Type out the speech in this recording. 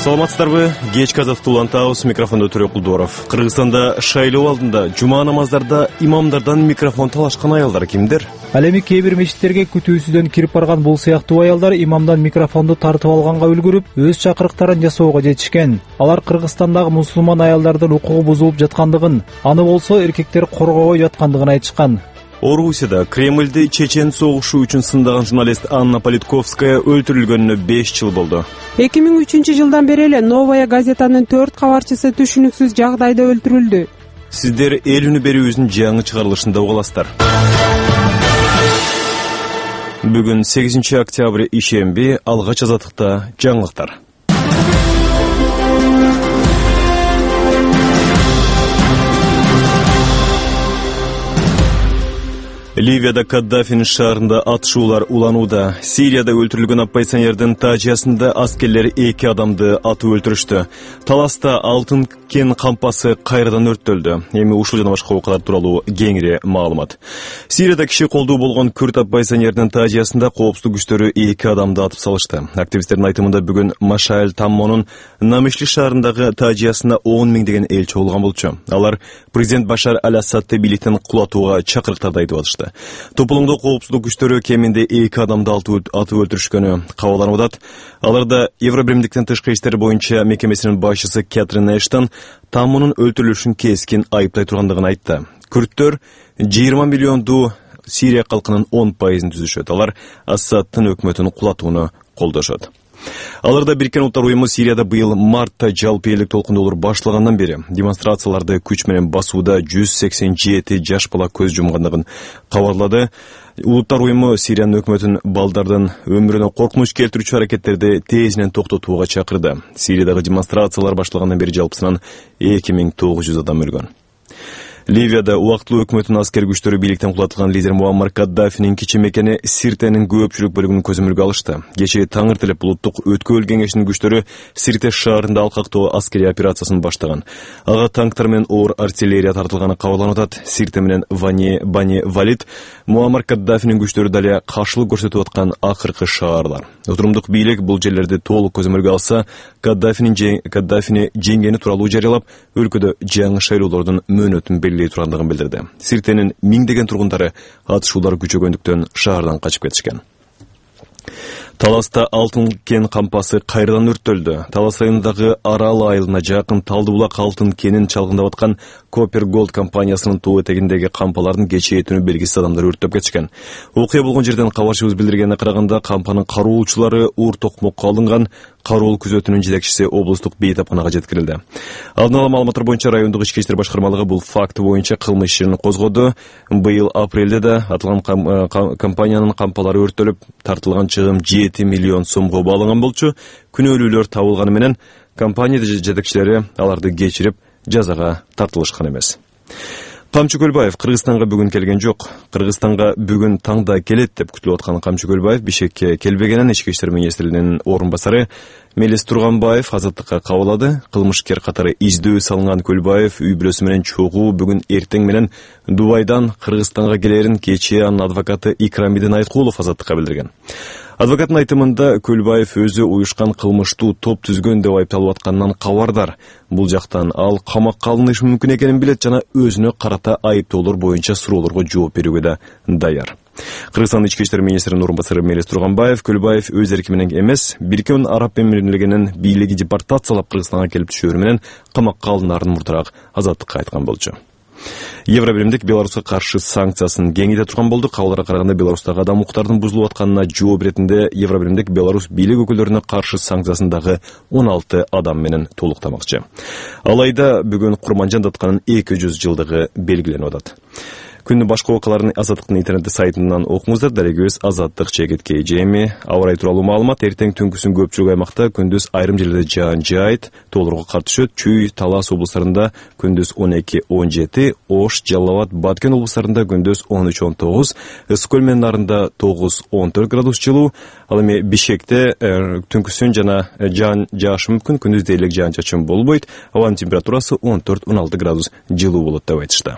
Саламатсыздарбы? Кечки азаттык улантабыз. Микрофондо Төрөк Кулдоров. Кыргызстанда шайлоо алдында жума намаздарда имамдардан микрофон талашкан аялдар кимдер? Ал эми кээ бир мечиттерге күтүүсүздөн кирип барган бул сыяктуу аялдар имамдан микрофонду тартып алганга үлгүрүп, өз чакырыктарын жасоого жетишкен. Алар Кыргызстандагы мусулман аялдардын укугу бузулуп жаткандыгын, аны болсо эркектер коргобой жаткандыгын айтышкан. Орусияда Кремльде чечен согушу үчүн сындаган журналист Анна Политковская өлтүрүлгөнүнө 5 жыл болду. 2003 жылдан бери эле Новая газетанын 4 кабарчысы түшүнүксүз жагдайда өлтүрүлдү. Сиздер эл үнү берүүбүздүн жаңы чыгарылышында угаласыздар. Бүгүн 8 октябрь ишемби, алгач азаттыкта жаңылыктар. Ливияда Каддафинин шаарында атышуулар уланууда. Сирияда өлтүрүлгөн оппозиционердин тажиясында аскерлер 2 адамды атып өлтүрүштү. Таласта алтын кен кампасы кайрадан өрттөлдү. Эми ушул жана башка окуялар тууралуу кеңири маалымат. Сирияда киши колдуу болгон күрд оппозиционердин тажиясында коопсуздук күчтөрү 2 адамды атып салышты. Активисттердин айтымында бүгүн Машаэль Таммонун Намишли шаарындагы тажиясына 10 миңдеген эл чогулган болчу. Алар президент Башар Аль-Асадты бийликтен кулатууга чакырыктарды айтып атышты. Тополоңдо коопсуздук күчтөрү кеминде 2 адамды атып өлтүрүшкөнү кабарланып атат. Аларда Евробиримдиктин тышкы иштер боюнча мекемесинин башчысы Кэтрин Эштон Таммонун өлтүрүлүшүн кескен айыптай тургандыгын айтты. Күрттөр 20 миллионду Сирия калкынын 10% түзүшөт. Алар Асадтын өкмөтүн кулатууну колдошот. Аларда Бириккен Улуттар уюму Сирияда быйыл мартта жалпы элдик толкундоолор башталгандан бери демонстрацияларды күч менен басууда 187 жаш бала көз жумгандыгын кабарлады. Улуттар уюму Сириянын өкмөтүн балдардын өмүрүнө коркунуч келтирүүчү аракеттерди тезинен токтотууга чакырды. Сириядагы демонстрациялар башталгандан бери жалпысынан 2900 адам өлгөн. Ливияда убактылуу өкмөттүн аскер күчтөрү бийликтен кулатылган лидер Муаммар Каддафинин кичи мекени Сиртенин көпчүлүк бөлүгүн көзөмөлгө алышты. Кечээ таңертелеп улуттук өткөбөл кеңешинин күчтөрү Сирте шаарында алкактоо аскерий операциясын баштаган. Ага танктар менен оор артиллерия тартылганы кабарланып атат. Сирте менен Бани Валид Муаммар Каддафинин күчтөрү дале каршылык көрсөтүп аткан акыркы шаарлар. Отурумдук бийлик бул жерлерди толук көзөмөлгө алса, Каддафини жеңгени тууралуу жарыялап, өлкөдө жаңы шайлоолордун мөөнөтүн белгилей тургандыгын билдирди. Сиртенин миңдеген тургундары атышуулар күчөгөндүктөн шаардан качып кетишкен. Таласта алтын кен кампасы кайрадан өрттөлдү. Талас районундагы Арал айылына жакын Талдыбулак алтын кенин чалгындап аткан Copper Gold компаниясынын тоо этегиндеги кампалардын кечээ түнү белгисиз адамдар өрттөп кетишкен. Окуя болгон жерден кабарчыбыз билдиргенине караганда, кампанын кароолчулары уур токмокко алынган. Кароол күзөтүнүн жетекчиси облустук бейтапканага жеткирилди. Алдын ала маалыматтар боюнча райондук ички иштер башкармалыгы бул факт боюнча кылмыш ишин козгоду. Быйыл апрелде да аталган компаниянын кампалары өрттөлүп, тартылган чыгым 7 миллион сомго бааланган болчу. Күнөөлүүлөр табылганы менен компания жетекчилери аларды кечирип, жазага тартылышкан эмес. Камчы Көлбаев Кыргызстанга бүгүн келген жок. Кыргызстанга бүгүн таңда келет деп күтүлүп аткан Камчы Көлбаев Бишкекке келбегенин ички иштер министринин орун басары Мелис Турганбаев азаттыкка кабылады. Кылмышкер катары издөө салынган Көлбаев үй бүлөсү менен чогуу бүгүн эртең менен Дубайдан Кыргызстанга келерин кечээ анын адвокаты Икрамидин Айткулов азаттыкка билдирген. Адвокаттын айтымында Көлбаев өзү уюшкан кылмыштуу топ түзгөн деп айыпталып атканынан кабардар. Бул жактан ал камакка алынышы мүмкүн экенин билет жана өзүнө карата айыптоолор боюнча суроолорго жооп берүүгө да даяр. Кыргызстан ички иштер министринин орун басары Мелис Турганбаев Көлбаев өз эрки менен эмес, Бириккен Араб Эмирлигинин бийлиги депортациялап Кыргызстанга келип түшөөрү менен камакка алынаарын мурдараак азаттыкка айткан болчу. Евробиримдик Беларуска каршы санкциясын кеңейте турган болду. Кабарларга караганда Беларустагы адам укуктардын бузулуп атканына жооп иретинде Евробиримдик Беларусь бийлик өкүлдөрүнө каршы санкциясын дагы 16 адам менен толуктамакчы. Алайда бүгүн Курманжан Датканын 200 жылдыгы белгиленип атат. Күндүн башка окуяларын Азаттыктын интернет сайтынан окуңуздар. Дарегибиз azattik.kj. Аба ырайы тууралуу маалымат. Эртең түнкүсүн көпчүлүк аймакта, күндүз айрым жерлерде жаан жаайт. Тоолорго кар түшөт. Чүй, Талас облустарында күндүз 12-17, Ош, Жалал Абад, Баткен облустарында күндүз 13-19, Ыскөл менен Нарында 9-14 градус жылуу. Ал эми Бишкекте түнкүсүн жана жаан жаашы мүмкүн, күндүз дээрлик жаан чачын болбойт. Абанын температурасы 14-16 градус жылуу болот деп айтышты.